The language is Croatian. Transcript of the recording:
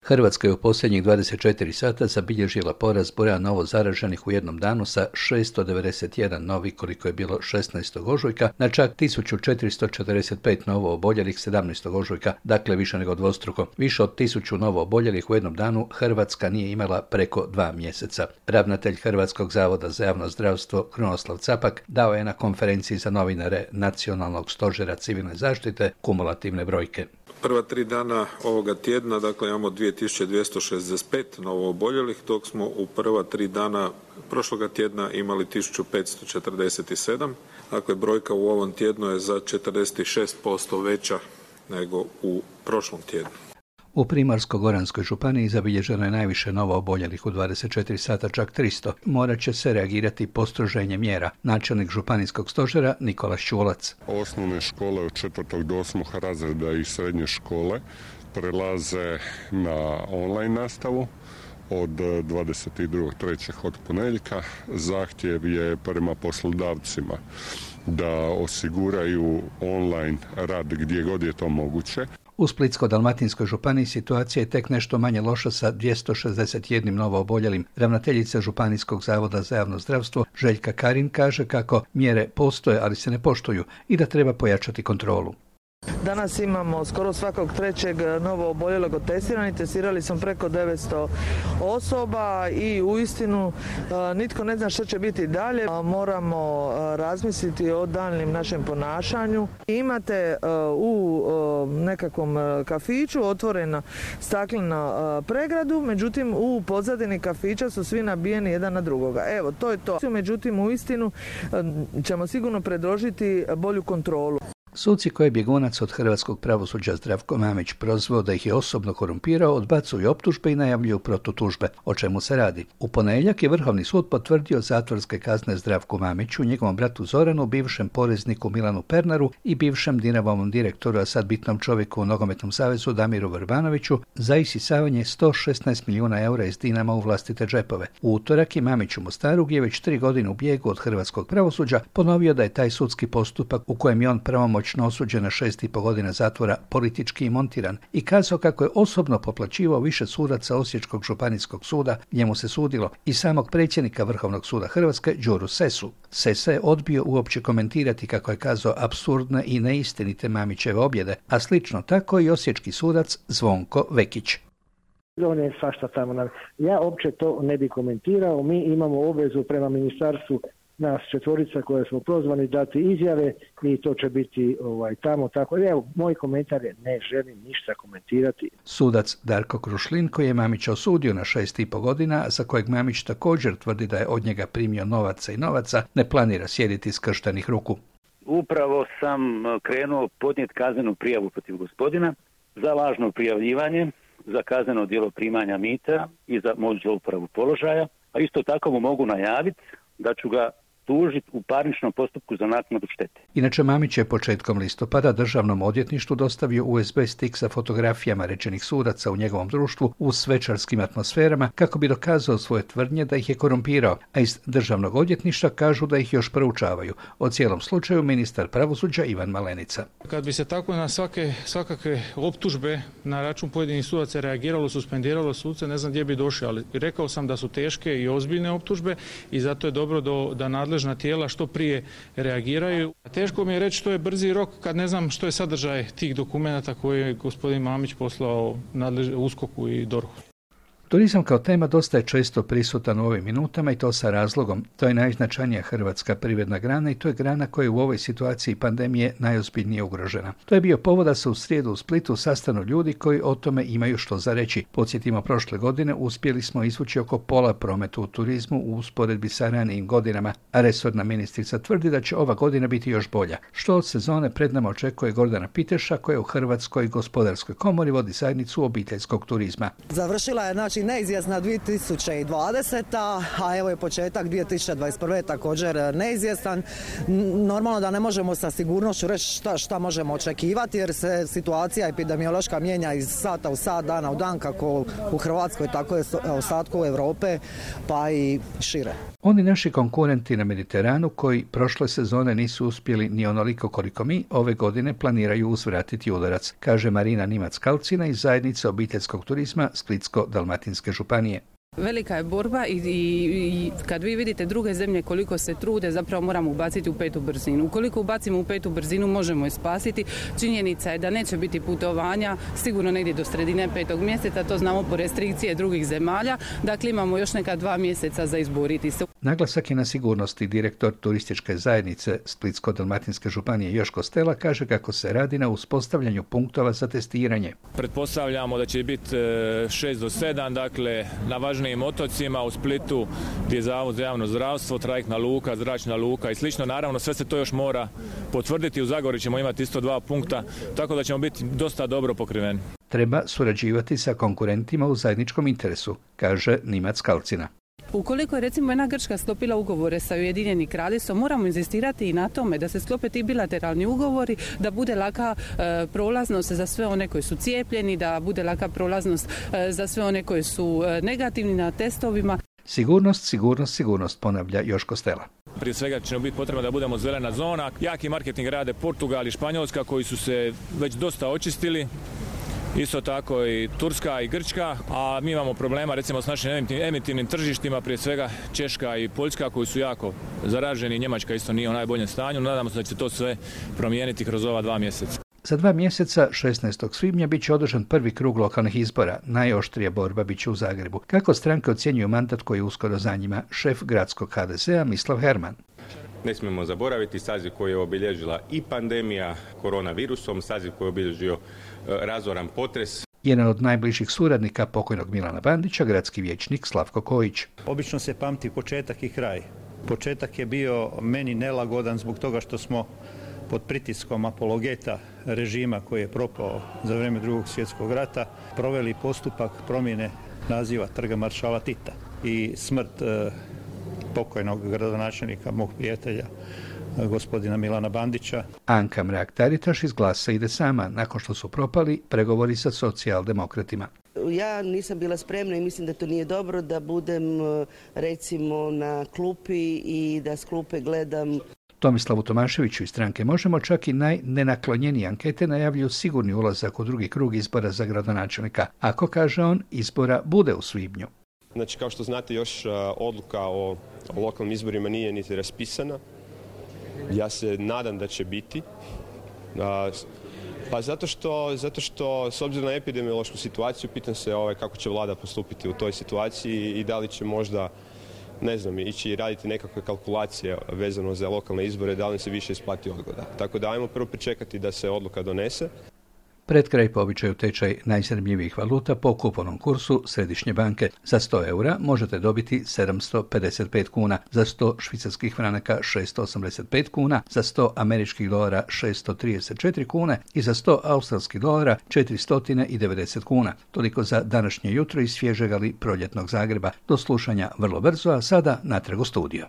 Hrvatska je u posljednjih 24 sata zabilježila porast broja novo zaraženih u jednom danu sa 691 novi, koliko je bilo 16. ožujka, na čak 1445 novo oboljelih 17. ožujka, dakle više nego dvostruko. Više od 1000 novo oboljelih u jednom danu Hrvatska nije imala preko 2 mjeseca. Ravnatelj Hrvatskog zavoda za javno zdravstvo Krunoslav Capak dao je na konferenciji za novinare Nacionalnog stožera civilne zaštite kumulativne brojke. Prva 3 dana ovoga tjedna, dakle imamo 2265 novo oboljelih, dok smo u prva 3 dana prošloga tjedna imali 1547. Dakle, brojka u ovom tjednu je za 46% veća nego u prošlom tjednu. U Primorsko-goranskoj županiji zabilježeno je najviše novo oboljelih u 24 sata, čak 300. Morat će se reagirati postroženje mjera. Načelnik županijskog stožera Nikola Ščulac. Osnovne škole od 4. do 8. razreda i srednje škole prelaze na online nastavu od 22.3. od ponedjeljka. Zahtjev je prema poslodavcima da osiguraju online rad gdje god je to moguće. U Splitsko-dalmatinskoj županiji situacija je tek nešto manje loša sa 261 novo oboljelim. Ravnateljica Županijskog zavoda za javno zdravstvo Željka Karin kaže kako mjere postoje, ali se ne poštuju i da treba pojačati kontrolu. Danas imamo skoro svakog trećeg novo oboljelog od testiranih. Testirali smo preko 900 osoba i uistinu nitko ne zna što će biti dalje. Moramo razmisliti o daljnjem našem ponašanju. Imate u nekakvom kafiću otvorena staklena pregradu, međutim u pozadini kafića su svi nabijeni jedan na drugoga. Evo, to je to. Međutim, uistinu ćemo sigurno predložiti bolju kontrolu. Suci koje je bjegunac od hrvatskog pravosuđa Zdravko Mamić prozvao da ih je osobno korumpirao, odbacuju optužbe i najavljuju protutužbe. O čemu se radi? U ponedjeljak je Vrhovni sud potvrdio zatvorske kazne Zdravku Mamiću, njegovom bratu Zoranu, bivšem porezniku Milanu Pernaru i bivšem Dinamovom direktoru, a sad bitnom čovjeku u Nogometnom savezu Damiru Vrbanoviću, za isisavanje 116 milijuna eura iz Dinama u vlastite džepove. U utorak je Mamić u Mostaru, gdje je već 3 godine u bijegu od hrvatskog pravosuđa, ponovio da je taj sudski postupak u kojem je on pravomoćno osuđen na 6,5 godina zatvora politički montiran i kazao kako je osobno poplaćivao više sudaca Osječkog županijskog suda, njemu se sudilo, i samog predsjednika Vrhovnog suda Hrvatske Đuru Sesu. Sesa je odbio uopće komentirati, kako je kazao, apsurdne i neistinite Mamićeve objede, a slično tako i osječki sudac Zvonko Vekić. On je svašta tamo. Ja uopće to ne bi komentirao. Mi imamo obvezu prema ministarstvu, nas 4 koja smo prozvani, dati izjave i to će biti tamo tako. Evo, moj komentar je ne želim ništa komentirati. Sudac Darko Krušlin, koji je Mamića osudio na 6,5 godina, za kojeg Mamić također tvrdi da je od njega primio novaca, ne planira sjediti skrštenih ruku. Upravo sam krenuo podnijeti kaznenu prijavu protiv gospodina za lažno prijavljivanje, za kazneno djelo primanja mita i za moć zlouporabu položaja, a isto tako mu mogu najaviti da ću ga tužiti u parničnom postupku za naknadu štete. Inače, Mamić je početkom listopada Državnom odvjetništvu dostavio USB stik sa fotografijama rečenih sudaca u njegovom društvu u svečarskim atmosferama kako bi dokazao svoje tvrdnje da ih je korumpirao, a iz Državnog odvjetništva kažu da ih još proučavaju. O cijelom slučaju ministar pravosuđa Ivan Malenica. Kad bi se tako na svakakve optužbe na račun pojedinih sudaca reagiralo, suspendiralo suce, ne znam gdje bi došli, ali rekao sam da su teške i ozbiljne optužbe i zato je dobro da nadležna tijela što prije reagiraju. Teško mi je reći što je brzi rok kad ne znam što je sadržaj tih dokumenata koje je gospodin Mamić poslao USKOK-u i DORH-u. Turizam kao tema dosta je često prisutan u ovim minutama i to sa razlogom. To je najznačajnija hrvatska privredna grana i to je grana koja je u ovoj situaciji pandemije najozbiljnije ugrožena. To je bio povod da se u srijedu u Splitu sastanu ljudi koji o tome imaju što za reći. Podsjetimo, prošle godine uspjeli smo izvući oko pola prometa u turizmu u usporedbi sa ranijim godinama, a resorna ministrica tvrdi da će ova godina biti još bolja. Što od sezone pred nama očekuje Gordana Piteša, koja u Hrvatskoj gospodarskoj komori vodi zajednicu obiteljskog turizma. Završila je Znači neizvjesna 2020. a evo je početak 2021. također neizvjestan. Normalno da ne možemo sa sigurnošću reći šta možemo očekivati jer se situacija epidemiološka mijenja iz sata u sat, dana u dan, kako u Hrvatskoj, tako i u ostatku Europe, pa i šire. Oni naši konkurenti na Mediteranu koji prošle sezone nisu uspjeli ni onoliko koliko mi, ove godine planiraju uzvratiti udarac, kaže Marina Nimac-Kalcina iz zajednice obiteljskog turizma Splitsko-dalmatinske županije. Velika je borba i kad vi vidite druge zemlje koliko se trude, zapravo moramo ubaciti u 5. brzinu. Ukoliko ubacimo u 5. brzinu možemo je spasiti. Činjenica je da neće biti putovanja sigurno negdje do sredine 5. mjeseca, to znamo po restrikcije drugih zemalja. Dakle, imamo još neka 2 mjeseca za izboriti se. Naglasak je na sigurnosti. Direktor turističke zajednice Splitsko-dalmatinske županije Joško Stela kaže kako se radi na uspostavljanju punktova za testiranje. Pretpostavljamo da će biti 6 do 7, dakle na važnijim otocima, u Splitu gdje je Zavod za javno zdravstvo, trajektna luka, zračna luka i slično. Naravno sve se to još mora potvrditi. U Zagori ćemo imati isto 2 punkta, tako da ćemo biti dosta dobro pokriveni. Treba surađivati sa konkurentima u zajedničkom interesu, kaže Nimac-Kalcina. Ukoliko je recimo jedna Grčka sklopila ugovore sa Ujedinjenim Kraljevstvom, moramo inzistirati i na tome da se sklope ti bilateralni ugovori, da bude laka prolaznost za sve one koji su cijepljeni, da bude laka prolaznost za sve one koji su negativni na testovima. Sigurnost, ponavlja Joško Stela. Prije svega će biti potrebno da budemo zelena zona. Jaki marketing rade Portugal i Španjolska koji su se već dosta očistili. Isto tako i Turska i Grčka, a mi imamo problema recimo s našim emitivnim tržištima, prije svega Češka i Poljska koji su jako zaraženi, Njemačka isto nije u najboljem stanju, nadamo se da će to sve promijeniti kroz ova 2 mjeseca. Za 2 mjeseca, 16. svibnja, bit će održan prvi krug lokalnih izbora. Najoštrija borba bit će u Zagrebu. Kako stranke ocjenjuju mandat koji je uskoro za njima? Šef gradskog HDZ-a Mislav Herman. Ne smijemo zaboraviti saziv koji je obilježila i pandemija koronavirusom, saziv koji je obilježio razoran potres. Jedan od najbližih suradnika pokojnog Milana Bandića, gradski vijećnik Slavko Kojić. Obično se pamti početak i kraj. Početak je bio meni nelagodan zbog toga što smo pod pritiskom apologeta režima koji je propao za vrijeme Drugog svjetskog rata proveli postupak promjene naziva Trga maršala Tita i smrt pokojnog gradonačelnika, mog prijatelja, gospodina Milana Bandića. Anka Mrak-Taritaš iz Glasa ide sama, nakon što su propali pregovori sa socijaldemokratima. Ja nisam bila spremna i mislim da to nije dobro da budem recimo na klupi i da s klupe gledam. Tomislavu Tomaševiću iz stranke Možemo čak i najnenaklonjenije ankete najavljuju sigurni ulazak u drugi krug izbora za gradonačelnika. Ako, kaže on, izbora bude u svibnju. Znači, kao što znate, još odluka o lokalnim izborima nije niti raspisana. Ja se nadam da će biti. Pa zato što s obzirom na epidemiološku situaciju, pitam se kako će vlada postupiti u toj situaciji i da li će možda, ne znam, ići raditi nekakve kalkulacije vezano za lokalne izbore, da li se više isplati odgoda. Tako da ajmo prvo pričekati da se odluka donese. Pred kraj po običaju tečaj najzanimljivijih valuta po kupovnom kursu Središnje banke. Za 100 eura možete dobiti 755 kuna, za 100 švicarskih franaka 685 kuna, za 100 američkih dolara 634 kune i za 100 australskih dolara 490 kuna. Toliko za današnje jutro iz svježeg ali proljetnog Zagreba. Do slušanja vrlo brzo, a sada natrag u studio.